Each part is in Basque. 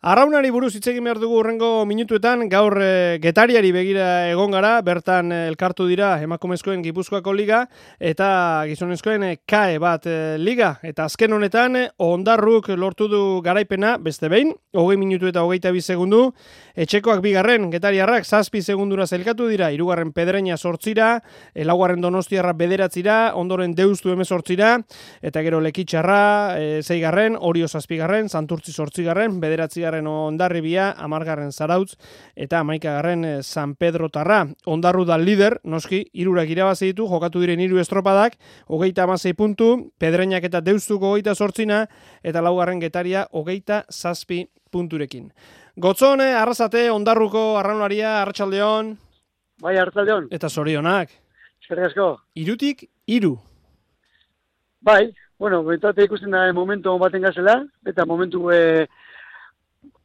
Arraunari buruz hitz egin behar dugu hurrengo minutuetan, gaur Getariari begira egon gara, bertan elkartu dira emakumezkoen Gipuzkoako liga eta gizonezkoen KAE bat liga. Eta azken honetan Ondarruk lortu du garaipena, beste behin, 20 minutu eta 22 segundu, etxekoak bigarren, Getariarrak 7 segundura zelkatu dira, 3. Pedreña 8, 4. Donostiarra 9, ondoren Deustu 18, eta gero Lekitxarra 6, Orio 7, Santurtzi 8, 9. Ondarribia, 10. Zarautz, eta 11. San Pedro Tarra. Ondarru da lider, noski, 3 irabazi ditu, jokatu diren 3 estropadak, 26 puntu, Pedreñak eta Deustuko 28, eta 4. Getaria 27 punturekin. Gotzon, Arrasate, Ondarruko arraunaria, Arratsaldeon. Bai, Arratsaldeon. Eta zorionak. Eskerrik asko. 3-3. Bai, bueno, bentate ikusten da momentu baten gazela, eta momentu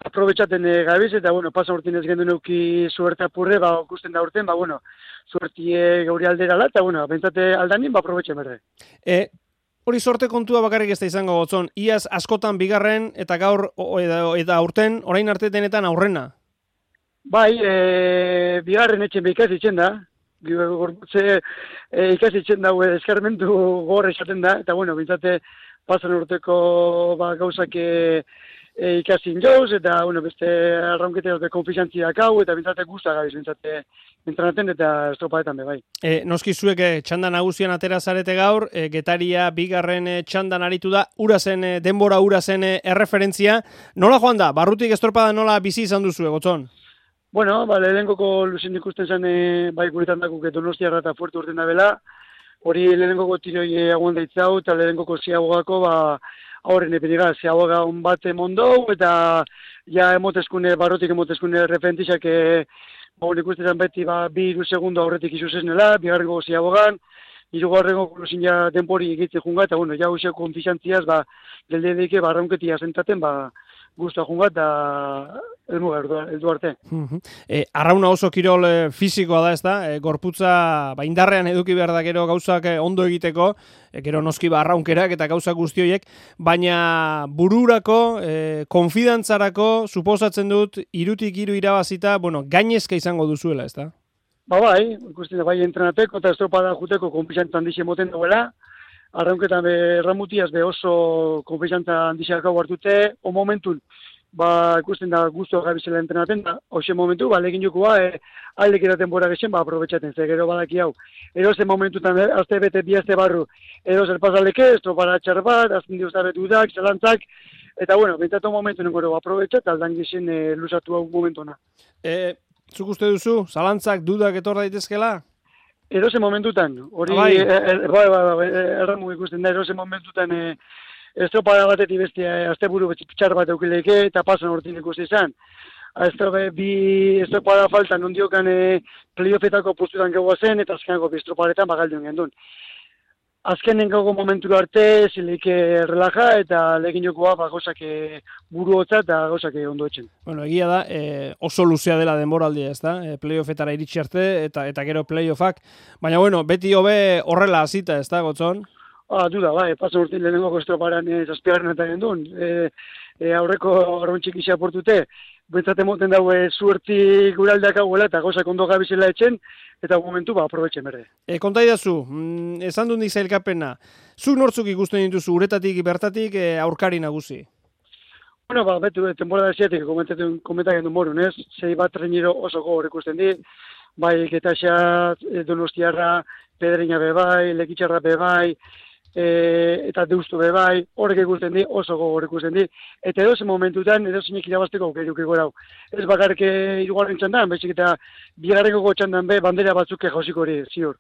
aprobetxaten gabiz, eta, bueno, pasan urtin ez gendu neuki suerte apurre, ikusten da urten, bueno, suertie gauri alderala, eta, bueno, bentate aldanin, aprobetxe berde. Hori sorte kontua bakarrik ez da izango Gotzon, iaz askotan bigarren, eta gaur, eta aurten, orain arte denetan aurrena. Bai, bigarren etxen ikasi itzen da, gorputze ikasi itzen da, eskarmentu gorre esaten da, eta, bueno, bentate pasan urteko gauzak ikasin jauz, eta, bueno, beste arraunkete dute konfizantziak hau, eta bintzate guztak gabiz, bintzate entrenaten eta estropadetan be, bai. Noski zuek txanda nagusian atera zarete gaur, Getaria bigarren txandan aritu da, urazen, denbora urazen erreferentzia. Nola joan da? Barrutik estropada nola bizi izan duzu, Gotzon? Bueno, lehenenkoko luzin ikusten zen, bai guretan dakuk Donostiarra eta Fuerte urten da bela, hori lehenenkoko tiroi aguanta itzau, eta lehenenkoko ziagogako, horren epeniga, ziagoga hon bat mondou, eta ja barrotik emotezkune referentizak ikusten beti 2 segundo aurretik izuzesnela, bigarrengo ziagogan, 3. luzin ja denpori egitzen junga, eta bueno, ja useko konfizantziaz, geldedeike barraunketia sentaten, guztua junga, eta eldu arte. Arrauna oso kirol fisikoa da, ez da? Gorputza indarrean eduki behar da gero gauzak ondo egiteko, gero noski arraunkerak eta gauzak guztioiek, baina bururako, konfidantzarako, suposatzen dut, 3-3 irabazita, bueno, gainezka izango duzuela, ez da? Bai, ikusten bai entrenateko eta estropada juteko konfizantza handixen moten duela, arraunketan erramutiaz oso konfizantza handixak hau hartute, o momentun, ikusten da guztua gabizela entrenaten, hoxe momentu, legin jokoa, aldek eta denbora gexen, aprobetxaten, ze gero badaki hau. Erozen momentutan, azte bete, bi azte barru, erozen pasaleke, estropara txar bat, azten diuztabet dudak, zelantzak, eta bueno, bentatu momentu nengoro aprobetxat, aldan gexen lusatu hau momentuna. Zuk uste duzu, zalantzak, dudak etor daitezkela? Erozen momentutan, hori, erramu ikusten da, erozen momentutan, estropada batetik beste asteburu txar bat eukileke, eta pasan hortin ikusten izan. Estropada falta nondiokan playoffetako postutan gau zen, eta azkenako estropadetan galdu gendun. Azkenen gago momentura arte, zileik relaja, eta legin jokoa gauzak buru hotza eta gauzak ondo etxen. Bueno, egia da, oso luzea dela denboraldia, ez da? Playoffetara iritsi arte, eta gero playoffak. Baina, bueno, beti hobe horrela hasita, ez da, Gotzon? Duda, pasan urtin lehenengoko estroparan zazpigarren eta gendun. Aurreko arrontxik isa portute, bentsate moten daue zuerti guraldeak hauela eta gauzak ondo gabizela etxen, eta momentu aprobetxen berde. Konta idazu, esan dut nik zailkapena, zu nortzuk ikusten dituzu uretatik, bertatik, aurkari nagusi? Bueno, betu, temporada ziatik komentaken du morun, ez? Zei bat treniro oso gogor ikusten di, bai Getaxa, Donostiarra, Pedreña bebai, Lekitxarra bebai, eta Deustu bebai, horrek ikusten di, oso gogor ikusten di, eta edozen momentutan, edozenek irabazteko aukeruk egorau. Ez bakarrik 3. txandan, baizik eta 2. txandan bandera batzuk jausiko hori, ziur.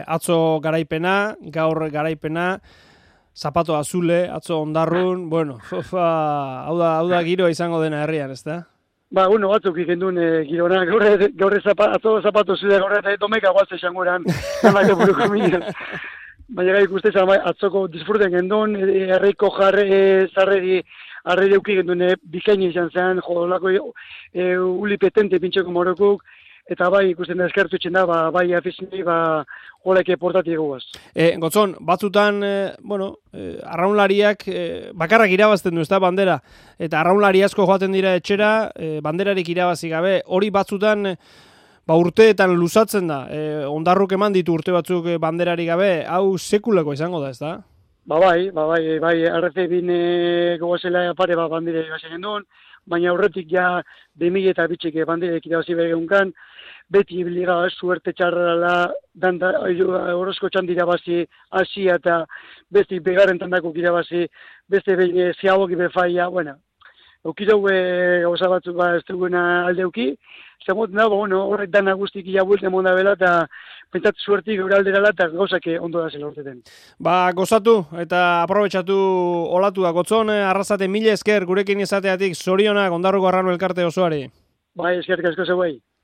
Atzo garaipena, gaur garaipena, zapato azule, atzo Ondarrun, bueno, hau da giroa izango dena herrian, ez da? Bueno, batzuk ikendun girona, gaur atzo zapato zule, gaur eta domeka guatze esango eran, zanako buruko minen. Baina ikusten atzoko disfruten gendun, herriko zarreri arredi euki gendun bikaini izan zen, jodolako uli petente pintxeko morokuk, eta bai ikusten da eskertu itxen da, bai afizinei, holeke portati egoaz. Gotzon, batzutan, arraunlariak bakarrak irabazten du, ez da, bandera, eta arraunlari asko joaten dira etxera, banderarik irabazi gabe, hori batzutan, urteetan luzatzen da, ondarruk eman ditu urte batzuk banderari gabe, hau sekulako izango da, ez da? Bai, RC-bin gogazela pare bandera irabazi gendun, baina aurretik ja 2000 eta bitxik banderek irabazi begeunkan, beti liga suerte txarrala, horrezko txandira bazi, Asia eta besti begarren tandako irabazi, beste behin ziagoki befaia, eukidau gauza batzuk ez duguna aldeuki, zemoten da, horrek dana guztik iabuelten monda bela, eta pentsatu suertik gure alderala, eta gauzak ondo da zela urteten. Gozatu eta aprobetxatu olatu da, Gotzon, arrazate mila esker gurekin izateatik, zorionak Ondarruko Arrano elkarte osoari. Bai, eskerrik asko zeuei.